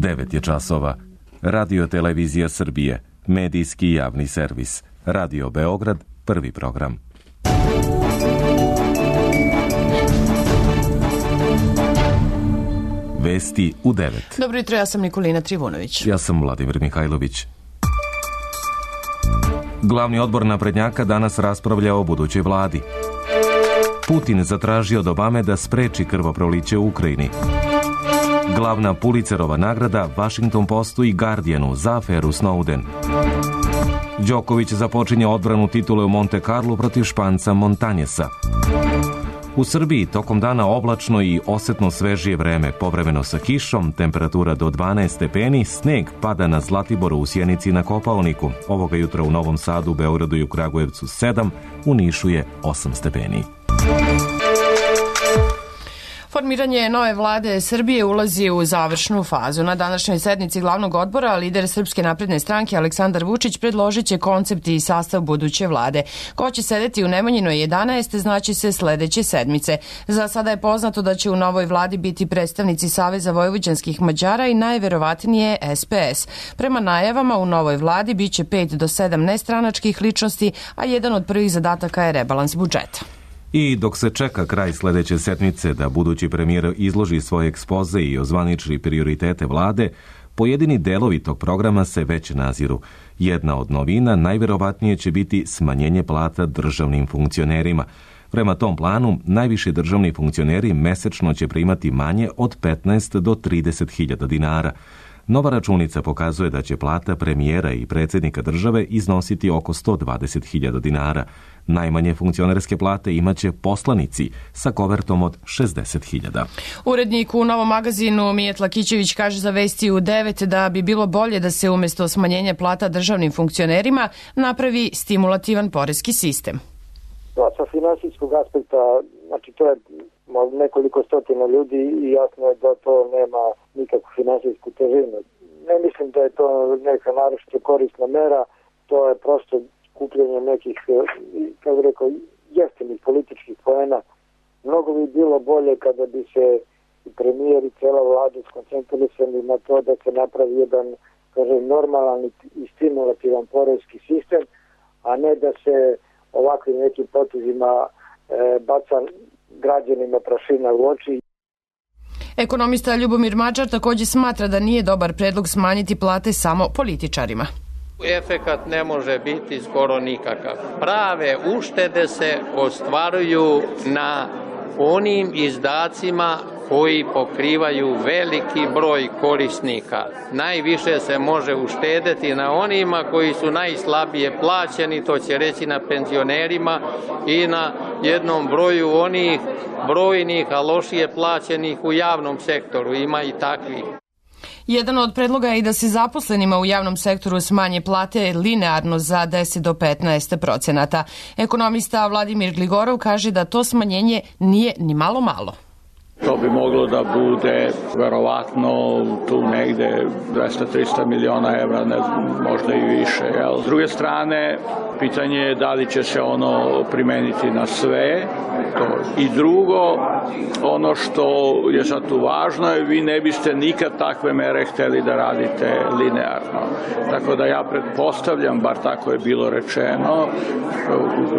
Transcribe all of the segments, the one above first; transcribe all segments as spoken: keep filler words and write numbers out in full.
devet je časova. Radio Televizija Srbije, medijski javni servis. Radio Beograd, prvi program. Vesti u devet. Dobro jutro, ja sam Nikolina Trivunović. Ja sam Vladimir Mihajlović. Glavni odbor naprednjaka danas raspravlja o budućoj vladi. Putin zatražio od Obame da spreči krvoproliće u Ukrajini. Glavna Pulitzerova nagrada Washington Postu i Guardianu za aferu Snowden. Đoković započinje odbranu titule u Monte Carlu protiv Španca Montañesa. U Srbiji tokom dana oblačno i osetno svežije vreme, povremeno sa kišom, temperatura do dvanaest stepeni, sneg pada na Zlatiboru, u Sjenici i na Kopaoniku. Ovoga jutra u Novom Sadu, Beogradu i u Kragujevcu sedam, u Nišu je osam stepeni. Formiranje nove vlade Srbije ulazi u završnu fazu. Na današnjoj sednici glavnog odbora lider Srpske napredne stranke Aleksandar Vučić predložit će koncept i sastav buduće vlade. Ko će sedeti u Nemanjinoj jedanaest znači se sledeće sedmice. Za sada je poznato da će u novoj vladi biti predstavnici Saveza vojvođanskih Mađara i najverovatnije S P S. Prema najavama u novoj vladi biće pet do sedam nestranačkih ličnosti, a jedan od prvih zadataka je rebalans budžeta. I dok se čeka kraj sledeće sedmice da budući premijer izloži svoje ekspoze i ozvaniči prioritete vlade, pojedini delovi tog programa se već naziru. Jedna od novina najverovatnije će biti smanjenje plata državnim funkcionerima. Prema tom planu, najviši državni funkcioneri mesečno će primati manje od petnaest do trideset hiljada dinara. Nova računica pokazuje da će plata premijera i predsjednika države iznositi oko sto dvadeset hiljada dinara. Najmanje funkcionerske plate imaće poslanici sa kovertom od šezdeset hiljada. Urednik u Novom magazinu Mijet Lakićević kaže za Vesti u devet da bi bilo bolje da se umjesto smanjenja plata državnim funkcionerima napravi stimulativan poreski sistem. Da, sa finansijskog aspekta, znači to je nekoliko stotina ljudi i jasno je da to nema nikakvu finansijsku težinu. Ne mislim da je to neka naročito korisna mera, to je prosto skupljenje nekih, kako rekao, jeftinih političkih poena. Mnogo bi bilo bolje kada bi se i premijer i cela vlada skoncentrisali na to da se napravi jedan, kažem, normalan i stimulativan poreski sistem, a ne da se ovakvim nekim potezima e, baca građanima prašina u oči. Ekonomista Ljubomir Mačar također smatra da nije dobar predlog smanjiti plate samo političarima. Efekat ne može biti skoro nikakav. Prave uštede se ostvaruju na onim izdacima koji pokrivaju veliki broj korisnika. Najviše se može uštedeti na onima koji su najslabije plaćeni, to će reći na penzionerima i na jednom broju onih brojnih, a lošije plaćenih u javnom sektoru. Ima i takvih. Jedan od predloga je i da se zaposlenima u javnom sektoru smanje plate linearno za deset do petnaest procenata. Ekonomista Vladimir Gligorov kaže da to smanjenje nije ni malo malo. To bi moglo da bude verovatno tu negde dvesta do trista miliona evra, ne znam, možda i više. Jel? S druge strane, pitanje je da li će se ono primeniti na sve. To. I drugo, ono što je sad tu važno je, vi ne biste nikad takve mere hteli da radite linearno. Tako da ja pretpostavljam, bar tako je bilo rečeno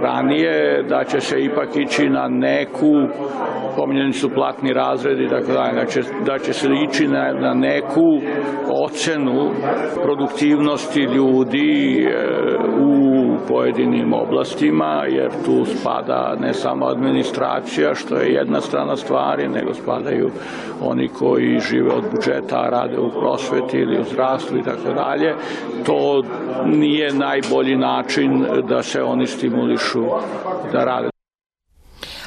ranije, da će se ipak ići na neku, pominjeni su platni razredi, tako da, da, će, da će se ići na, na neku ocenu produktivnosti ljudi e, u pojedinim oblastima, jer tu spada ne samo administracija, što je jedna strana stvari, nego spadaju oni koji žive od budžeta, a rade u prosveti ili u zdravstvu i tako dalje. To nije najbolji način da se oni stimulišu da rade.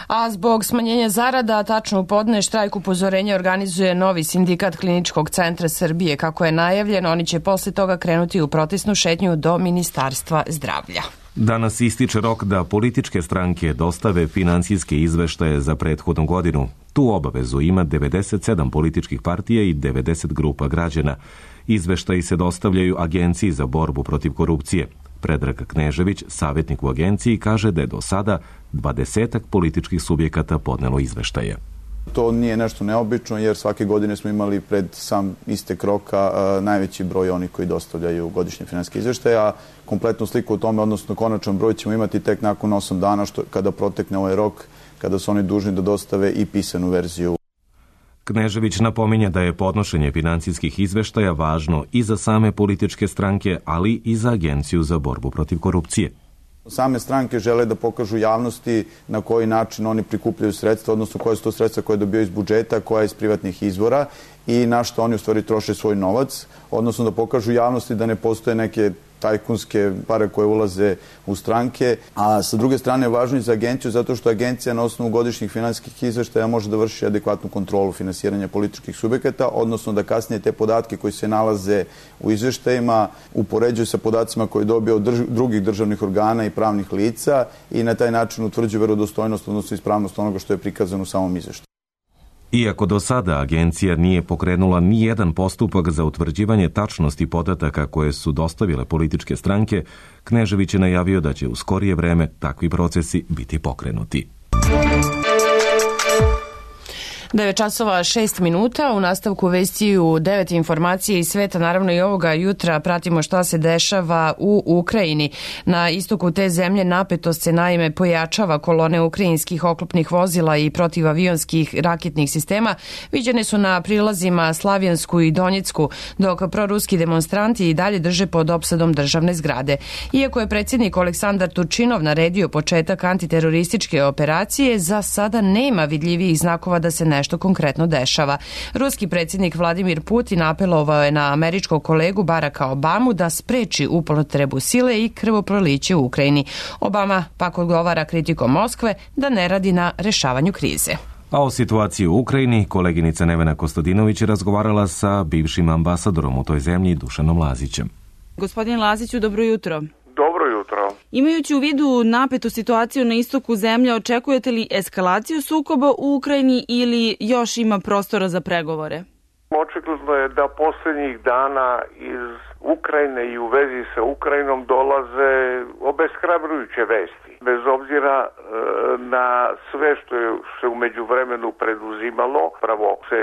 A zbog smanjenja zarada, tačno u podne, štrajk upozorenja organizuje novi sindikat Kliničkog centra Srbije. Kako je najavljeno, oni će posle toga krenuti u protestnu šetnju do Ministarstva zdravlja. Danas ističe rok da političke stranke dostave finansijske izveštaje za prethodnu godinu. Tu obavezu ima devedeset sedam političkih partija i devedeset grupa građana. Izveštaji se dostavljaju Agenciji za borbu protiv korupcije. Predrag Knežević, savjetnik u agenciji, kaže da je do sada dvadesetak političkih subjekata podnelo izveštaje. To nije nešto neobično jer svake godine smo imali pred sam istek roka uh, najveći broj onih koji dostavljaju godišnje finansijske izveštaje, a kompletnu sliku o tome, odnosno konačan broj ćemo imati tek nakon osam dana što, kada protekne ovaj rok, kada su oni dužni da dostave i pisanu verziju. Knežević napominje da je podnošenje finansijskih izveštaja važno i za same političke stranke, ali i za Agenciju za borbu protiv korupcije. Same stranke žele da pokažu javnosti na koji način oni prikupljaju sredstva, odnosno koje su to sredstva koje dobijaju iz budžeta, koja iz privatnih izvora i na što oni u stvari troše svoj novac, odnosno da pokažu javnosti da ne postoje neke tajkunske pare koje ulaze u stranke, a sa druge strane je važno i za agenciju zato što agencija na osnovu godišnjih finansijskih izveštaja može da vrši adekvatnu kontrolu finansiranja političkih subjekata, odnosno da kasnije te podatke koji se nalaze u izveštajima upoređuju sa podacima koje dobije od drž drugih državnih organa i pravnih lica i na taj način utvrđuju verodostojnost, odnosno ispravnost onoga što je prikazano u samom izveštaju. Iako do sada agencija nije pokrenula ni jedan postupak za utvrđivanje tačnosti podataka koje su dostavile političke stranke, Knežević je najavio da će u skorije vreme takvi procesi biti pokrenuti. devet časova šest minuta, u nastavku vesti u devet informacije iz sveta, naravno i ovoga jutra pratimo šta se dešava u Ukrajini. Na istoku te zemlje napetost se naime pojačava, kolone ukrajinskih oklopnih vozila i protivavionskih raketnih sistema viđene su na prilazima Slavjansku i Donjecku, dok proruski demonstranti i dalje drže pod opsadom državne zgrade. Iako je predsjednik Aleksandar Turčinov naredio početak antiterorističke operacije, za sada nema vidljivijih znakova da se ne nešto konkretno dešava. Ruski predsjednik Vladimir Putin apelovao je na američkog kolegu Baracka Obamu da spreči upotrebu sile i krvoproliće u Ukrajini. Obama pak odgovara kritikom Moskve da ne radi na rešavanju krize. A o situaciji u Ukrajini koleginica Nevena Kostadinović je razgovarala sa bivšim ambasadorom u toj zemlji Dušanom Lazićem. Gospodin Laziću, dobro jutro. Dobro jutro. Imajući u vidu napetu situaciju na istoku zemlje, očekujete li eskalaciju sukoba u Ukrajini ili još ima prostora za pregovore? Očigledno je da posljednjih dana iz Ukrajine i u vezi sa Ukrajinom dolaze obeshrabrujuće vesti. Bez obzira e, na sve što je se u međuvremenu preduzimalo, pravo se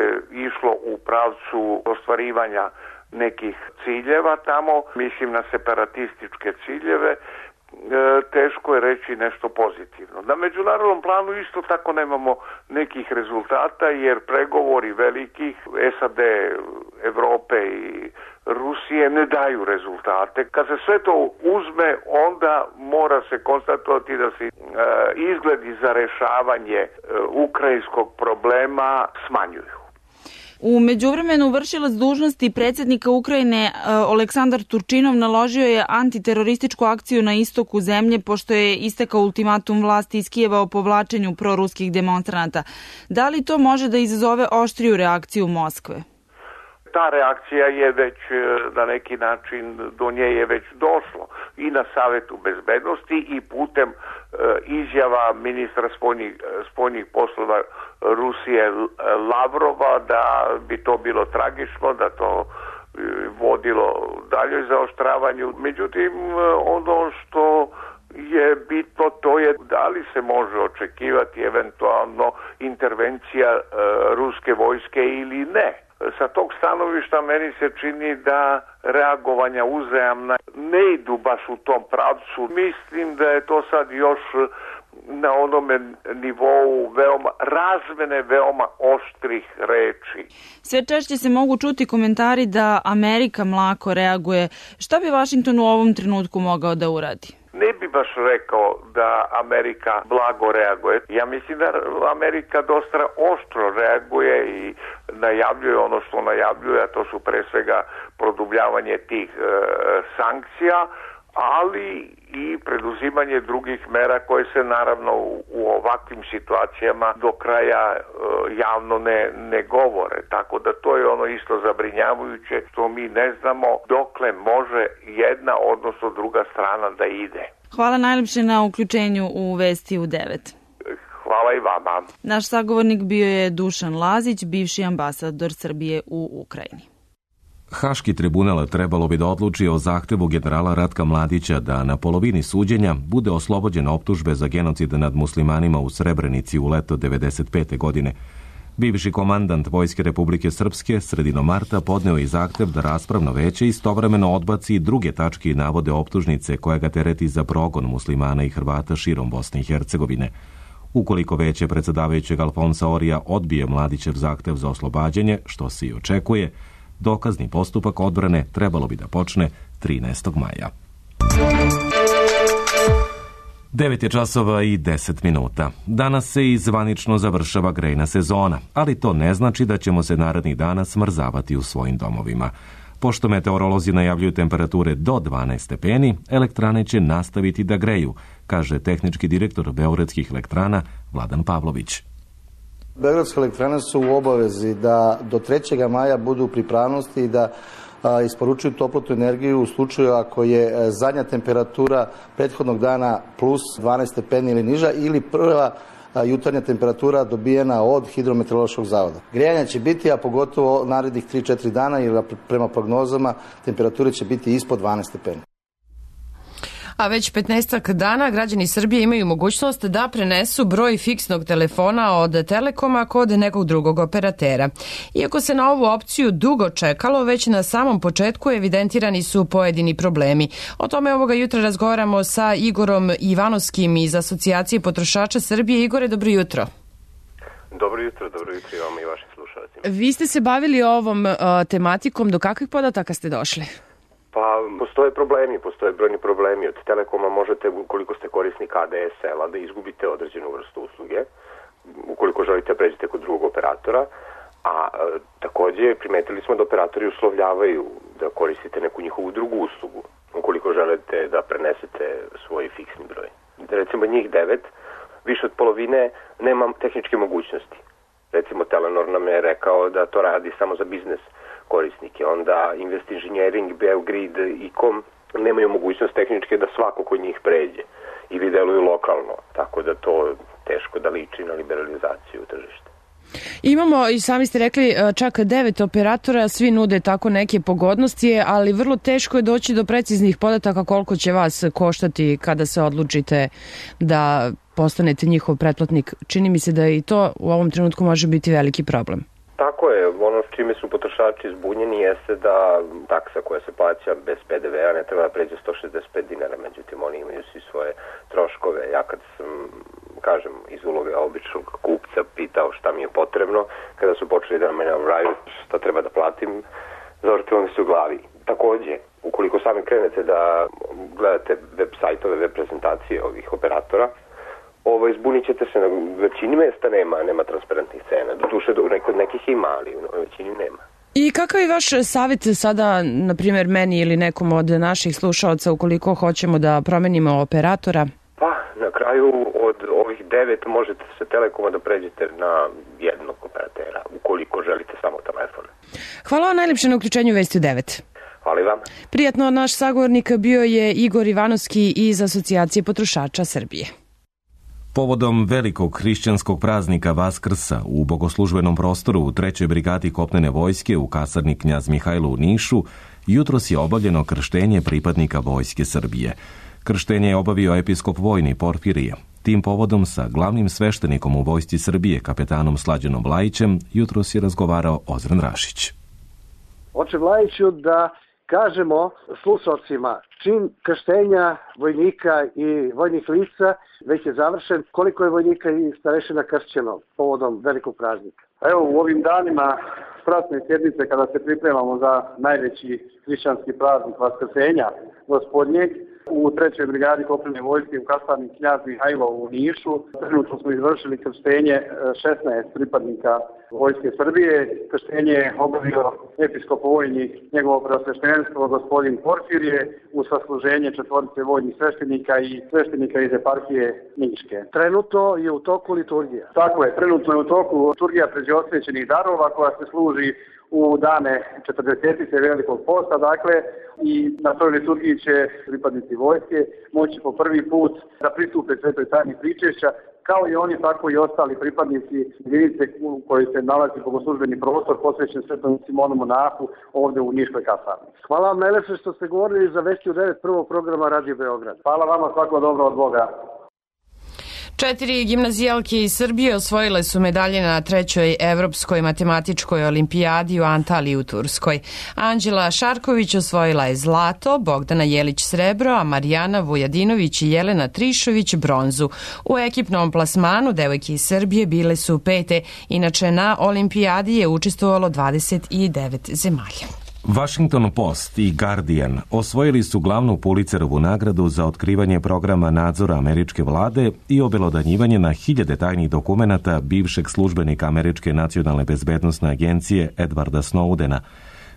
išlo u pravcu ostvarivanja nekih ciljeva tamo, mislim na separatističke ciljeve, e, teško je reći nešto pozitivno. Na međunarodnom planu isto tako nemamo nekih rezultata jer pregovori velikih S A D, Evrope i Rusije ne daju rezultate. Kad se sve to uzme, onda mora se konstatovati da se e, izgledi za rešavanje e, ukrajinskog problema smanjuju. U međuvremenu vršilac dužnosti predsjednika Ukrajine Aleksandar Turčinov naložio je antiterorističku akciju na istoku zemlje pošto je istekao ultimatum vlasti iz Kijeva o povlačenju proruskih demonstranata. Da li to može da izazove oštriju reakciju Moskve? Ta reakcija je već na neki način, do nje je već došlo i na Savetu bezbednosti i putem e, izjava ministra spoljnih, spoljnih poslova Rusije Lavrova da bi to bilo tragično, da to e, vodilo daljoj zaoštravanju. Međutim, ono što je bitno to je da li se može očekivati eventualno intervencija e, ruske vojske ili ne. Sa tog stanovišta meni se čini da reagovanja uzajamna ne idu baš u tom pravcu. Mislim da je to sad još na onome nivou veoma razmene veoma oštrih reči. Sve češće se mogu čuti komentari da Amerika mlako reaguje. Šta bi Vašington u ovom trenutku mogao da uradi? Ne bi baš rekao da Amerika blago reaguje. Ja mislim da Amerika dosta oštro reaguje i najavljuje ono što najavljuje, a to su pre svega produbljavanje tih e, sankcija, ali i preduzimanje drugih mera koje se naravno u, u ovakvim situacijama do kraja e, javno ne, ne govore. Tako da to je ono isto zabrinjavajuće što mi ne znamo dokle može jedna odnosno druga strana da ide. Hvala najljepše na uključenju u Vesti u devet. Hvala i vama. Naš sagovornik bio je Dušan Lazić, bivši ambasador Srbije u Ukrajini. Haški tribunal trebalo bi da odluči o zahtevu generala Ratka Mladića da na polovini suđenja bude oslobođen optužbe za genocid nad muslimanima u Srebrenici u leto devedeset pete. godine. Bivši komandant Vojske Republike Srpske sredinom marta podneo je zahtev da raspravno veće istovremeno odbaci i druge tačke i navode optužnice koja ga tereti za progon muslimana i Hrvata širom Bosne i Hercegovine. Ukoliko veće predsedavajućeg Alfonsa Orija odbije Mladićev zahtev za oslobađanje, što se i očekuje, dokazni postupak odbrane trebalo bi da počne trinaestog maja. devet je časova i deset minuta. Danas se i zvanično završava grejna sezona, ali to ne znači da ćemo se narednih dana smrzavati u svojim domovima. Pošto meteorolozi najavljuju temperature do dvanaest stepeni, elektrane će nastaviti da greju, kaže tehnički direktor Beogradskih elektrana Vladan Pavlović. Beogradske elektrane su u obavezi da do trećeg maja budu u pripravnosti i da a, isporučuju toplotnu energiju u slučaju ako je zadnja temperatura prethodnog dana plus dvanaest stepeni ili niža ili prva a, jutarnja temperatura dobijena od Hidrometeorološkog zavoda. Grejanja će biti, a pogotovo narednih tri do četiri dana, jer prema prognozama temperature će biti ispod dvanaest stepeni. A već petnaestak dana građani Srbije imaju mogućnost da prenesu broj fiksnog telefona od Telekoma kod nekog drugog operatera. Iako se na ovu opciju dugo čekalo, već na samom početku evidentirani su pojedini problemi. O tome ovoga jutra razgovaramo sa Igorom Ivanovskim iz Asocijacije potrošača Srbije. Igore, dobro jutro. Dobro jutro, dobro jutro i vama i vašim slušalcima. Vi ste se bavili ovom uh, tematikom, do kakvih podataka ste došli? Pa, postoje problemi, postoje brojni problemi. Od Telekoma možete, ukoliko ste korisnik A D S L-a, da izgubite određenu vrstu usluge, ukoliko želite pređete kod drugog operatora, a e, takođe primetili smo da operatori uslovljavaju da koristite neku njihovu drugu uslugu, ukoliko želite da prenesete svoj fiksni broj. Recimo njih devet, više od polovine nema tehničke mogućnosti. Recimo Telenor nam je rekao da to radi samo za biznes korisnike, onda Invest Engineering, Beogrid i Com nemaju mogućnost tehničke da svako kod njih pređe ili deluju lokalno, tako da to teško da liči na liberalizaciju tržišta. Imamo, i sami ste rekli, čak devet operatora, svi nude tako neke pogodnosti, ali vrlo teško je doći do preciznih podataka koliko će vas koštati kada se odlučite da postanete njihov pretplatnik. Čini mi se da i to u ovom trenutku može biti veliki problem. Tako je, ono s čime su potrošači zbunjeni jeste da taksa koja se plaća bez P D V-a ne treba da pređe sto šezdeset pet dinara, međutim oni imaju svi svoje troškove. Ja kad sam, kažem, iz uloge običnog kupca pitao šta mi je potrebno, kada su počeli da me navraju šta treba da platim, zavrtilo mi se u glavi. Takođe, ukoliko sami krenete da gledate web sajtove, web prezentacije ovih operatora, Ovo, izbunit ćete se, na većini mesta nema, nema transparentnih cena. Doduše, kod nekih ima, ali u većini nema. I kakav je vaš savjet sada, na primjer, meni ili nekom od naših slušalaca, ukoliko hoćemo da promenimo operatora? Pa, na kraju od ovih devet možete se Telekoma da pređete na jednog operatera, ukoliko želite samo telefon. Hvala vam najljepše na uključenju Vesti u devet. Hvala i vam. Prijatno, naš sagovornik bio je Igor Ivanovski iz Asocijacije potrošača Srbije. Povodom velikog hrišćanskog praznika Vaskrsa u bogoslužbenom prostoru u trećoj brigadi kopnene vojske u kasarni Knjaz Mihajlo u Nišu jutros je obavljeno krštenje pripadnika Vojske Srbije. Krštenje je obavio episkop vojni Porfirije. Tim povodom sa glavnim sveštenikom u Vojsci Srbije, kapetanom Slađanom Vlajićem, jutros je razgovarao Ozren Rašić. Oče Vlajiću, da kažemo slušalcima, čin krštenja vojnika i vojnih lica već je završen, koliko je vojnika i starešina kršćeno povodom velikog praznika? Evo, u ovim danima stratne sjednice, kada se pripremamo za najveći hrišćanski praznik Vaskrsenja Gospodnjeg, u trećoj brigadi kopnene vojske u kasarni Knjaz Mihajlo u Nišu, trenutno smo izvršili krštenje šesnaest pripadnika Vojske Srbije. Krštenje je obavio episkop vojni, njegovo preosveštenstvo gospodin Porfirije, u sasluženje četvorice vojnih sveštenika i sveštenika iz eparhije Niške. Trenutno je u toku liturgija. Tako je, trenutno je u toku liturgija pređeosvećenih darova koja se služi u dane četrdesetice velikog posta, dakle, i na toj liturgiji će pripadnici vojske moći po prvi put da pristupe svetoj tajni pričešća, kao i oni, tako i ostali pripadnici jedinice u kojoj se nalazi bogoslužbeni prostor posvećen Svetom Simonu Monahu ovde u Niškoj kasarni. Hvala vam najlepše što ste govorili za Vesti u devet prvog programa Radio Beograd. Hvala vama, svako dobro od Boga. Četiri gimnazijalke iz Srbije osvojile su medalje na trećoj evropskoj matematičkoj olimpijadi u Antaliji u Turskoj. Anđela Šarković osvojila je zlato, Bogdana Jelić srebro, a Marijana Vujadinović i Jelena Trišović bronzu. U ekipnom plasmanu devojke iz Srbije bile su pete. Inače, na olimpijadi je učestvovalo dvadeset devet zemalja. Washington Post i Guardian osvojili su glavnu Pulitzerovu nagradu za otkrivanje programa nadzora američke vlade i obelodanjivanje na hiljade tajnih dokumenata bivšeg službenika Američke nacionalne bezbednosne agencije Edwarda Snowdena.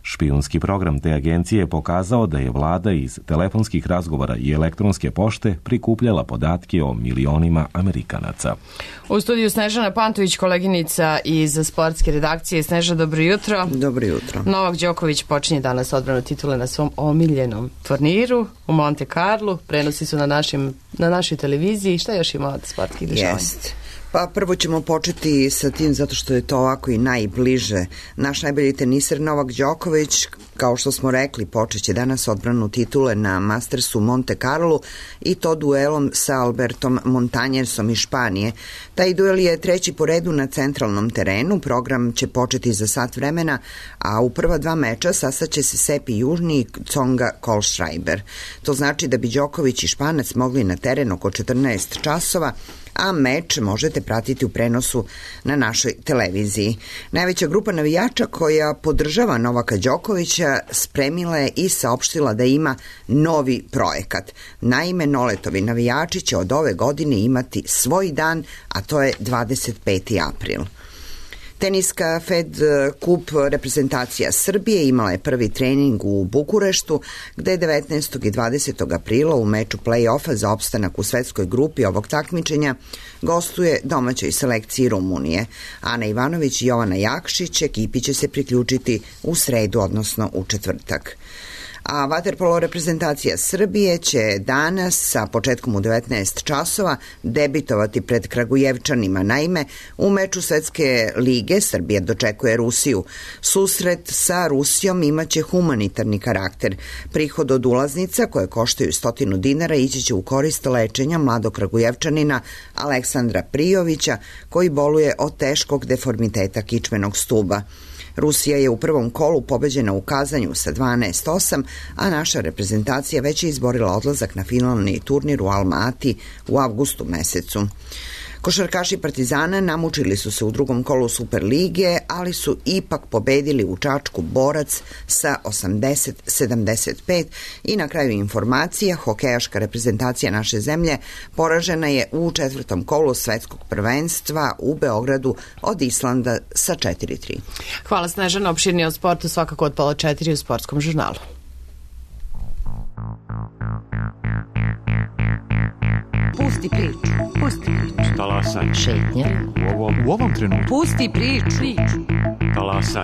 Špijunski program te agencije je pokazao da je vlada iz telefonskih razgovora i elektronske pošte prikupljala podatke o milionima Amerikanaca. U studiju Snežana Pantović, koleginica iz sportske redakcije. Sneža, dobro jutro. Dobro jutro. Novak Đoković počinje danas odbranu titule na svom omiljenom turniru u Monte Carlu. Prenosi su na, našim, na našoj televiziji. Šta još ima od sportskih dešavanja? Jest. Pa prvo ćemo početi sa tim zato što je to ovako i najbliže. Naš najbolji teniser Novak Đoković, kao što smo rekli, počeće danas odbranu titule na Mastersu Monte Carlo i to duelom sa Albertom Montañesom iz Španije. Taj duel je treći po redu na centralnom terenu. Program će početi za sat vremena, a u prva dva meča sastaće se Sepi Južni i Tsonga Kohlschreiber. To znači da bi Đoković i Španac mogli na teren oko četrnaest časova, a meč možete pratiti u prenosu na našoj televiziji. Najveća grupa navijača koja podržava Novaka Đokovića spremila je i saopštila da ima novi projekat. Naime, Noletovi navijači će od ove godine imati svoj dan, a to je dvadeset peti april. Teniska Fed Kup reprezentacija Srbije imala je prvi trening u Bukureštu, gde je devetnaestog i dvadesetog aprila u meču play-offa za opstanak u svetskoj grupi ovog takmičenja gostuje domaćoj selekciji Rumunije. Ana Ivanović i Jovana Jakšić ekipi će se priključiti u sredu, odnosno u četvrtak. A vaterpolo reprezentacija Srbije će danas sa početkom u devetnaest časova debitovati pred Kragujevčanima. Naime, u meču Svetske lige Srbija dočekuje Rusiju. Susret sa Rusijom imaće humanitarni karakter. Prihod od ulaznica, koje koštaju stotinu dinara, ići će u korist lečenja mladog Kragujevčanina Aleksandra Prijovića, koji boluje od teškog deformiteta kičmenog stuba. Rusija je u prvom kolu pobeđena u Kazanju sa dvanaest osam, a naša reprezentacija već je izborila odlazak na finalni turnir u Almati u avgustu mesecu. Košarkaši Partizana namučili su se u drugom kolu Superlige, ali su ipak pobedili u Čačku Borac sa osamdeset sedamdeset pet i na kraju informacija, hokejaška reprezentacija naše zemlje poražena je u četvrtom kolu svetskog prvenstva u Beogradu od Islanda sa četiri tri. Hvala Snežana, opširnije o sportu svakako od pola četiri u Sportskom žurnalu. Pusti priču, pusti priču. Talasaj. Šetnja. U ovom, u ovom trenutku. Pusti priču. Talasaj.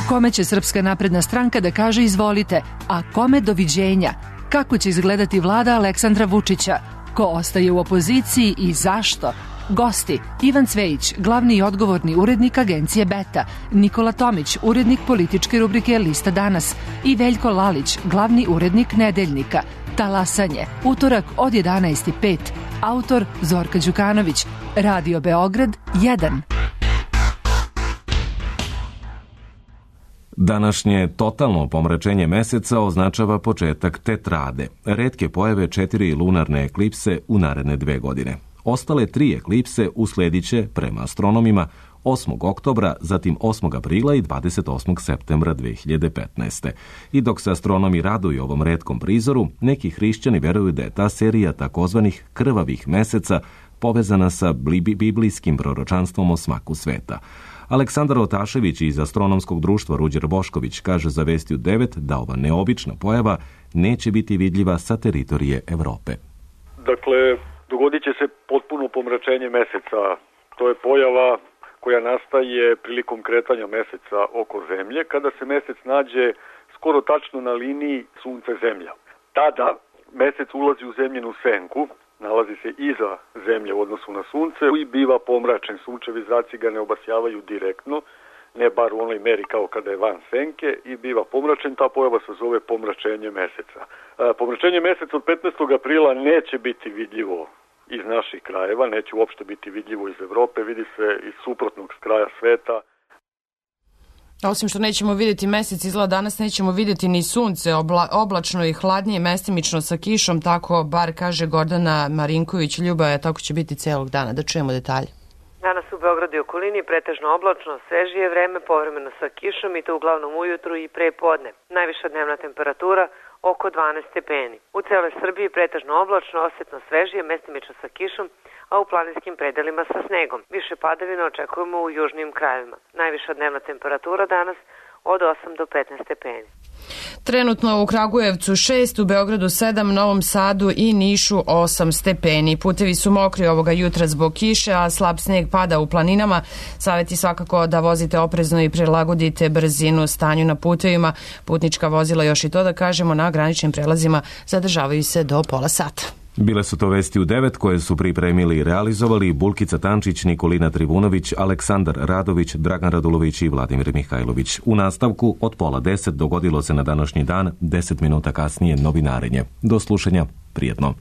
Kome će Srpska napredna stranka da kaže izvolite, a kome doviđenja? Kako će izgledati vlada Aleksandra Vučića? Ko ostaje u opoziciji i zašto? Gosti: Ivan Cvejić, glavni i odgovorni urednik agencije Beta, Nikola Tomić, urednik političke rubrike Lista danas i Veljko Lalić, glavni urednik Nedeljnika. Talasanje, utorak od jedanaest i pet. Autor Zorka Đukanović. Radio Beograd jedan. Današnje totalno pomračenje meseca označava početak tetrade, retke pojave četiri lunarne eklipse u naredne dve godine. Ostale tri eklipse uslediće, prema astronomima, osmog oktobra, zatim osmog aprila i dvadeset osmog septembra dve hiljade petnaeste. I dok se astronomi raduju ovom retkom prizoru, neki hrišćani veruju da je ta serija takozvanih krvavih meseca povezana sa biblijskim proročanstvom o smaku sveta. Aleksandar Otašević iz Astronomskog društva Ruđer Bošković kaže za Vestiju devet da ova neobična pojava neće biti vidljiva sa teritorije Evrope. Dakle, dogodit će se potpuno pomračenje meseca. To je pojava koja nastaje prilikom kretanja meseca oko Zemlje, kada se mesec nađe skoro tačno na liniji Sunce-Zemlja. Tada mesec ulazi u zemljenu senku, nalazi se iza Zemlje u odnosu na Sunce i biva pomračen. Sunčevi zraci ga ne obasjavaju direktno, ne bar u onoj meri kao kada je van senke, i biva pomračen. Ta pojava se zove pomračenje meseca. Pomračenje meseca od petnaestog aprila neće biti vidljivo iz naših krajeva, neće uopšte biti vidljivo iz Evrope, vidi se iz suprotnog kraja sveta. Osim što nećemo vidjeti mesec, izgleda danas nećemo vidjeti ni sunce, obla, oblačno i hladnije, mestimično sa kišom, tako bar kaže Gordana Marinković. Ljubaja, tako će biti celog dana. Da čujemo detalje. Danas u Beogradu i okolini pretežno oblačno, svežije vreme, povremeno sa kišom i to uglavnom ujutru i pre podne. Najviša dnevna temperatura oko dvanaest stepeni. U celoj Srbiji pretežno oblačno, osetno svežije, mestimično sa kišom, a u planinskim predelima sa snegom. Više padavina očekujemo u južnim krajevima. Najviša dnevna temperatura danas od osam do petnaest stepeni. Trenutno u Kragujevcu šest, u Beogradu sedam, Novom Sadu i Nišu osam stepeni. Putevi su mokri ovoga jutra zbog kiše, a slab sneg pada u planinama. Savjet je svakako da vozite oprezno i prilagodite brzinu stanju na putevima. Putnička vozila, još i to da kažemo, na graničnim prelazima zadržavaju se do pola sata. Bile su to vesti u devet koje su pripremili i realizovali Bulkica Tančić, Nikolina Trivunović, Aleksandar Radović, Dragan Radulović i Vladimir Mihajlović. U nastavku od pola deset dogodilo se na današnji dan, deset minuta kasnije novinarenje. Do slušanja, prijetno.